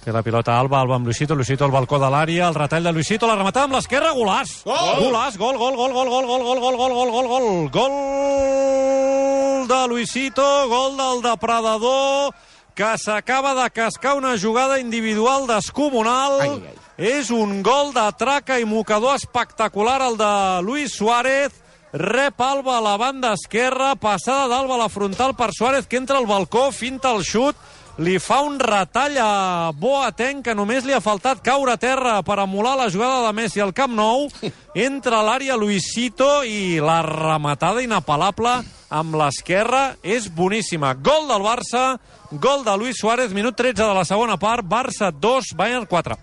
Té la pilota Alba amb Luisito al balcó de l'àrea, el retall de Luisito, la rematada amb l'esquerra, golaç! Golaç, gol de Luisito, gol del depredador, que s'acaba de cascar una jugada individual descomunal. És un gol de traca i mocador espectacular, el de Luis Suárez. Rep Alba a la banda esquerra, passada d'Alba a la frontal per Suárez, que entra al balcó, finta el xut, li fa un retall a Boateng, que només li ha faltat caure a terra per emular la jugada de Messi al Camp Nou. Entra a l'àrea Luisito i la rematada inapel·lable amb l'esquerra és boníssima. Gol del Barça, gol de Luis Suárez, minut 13 de la segona part, Barça 2, Bayern 4.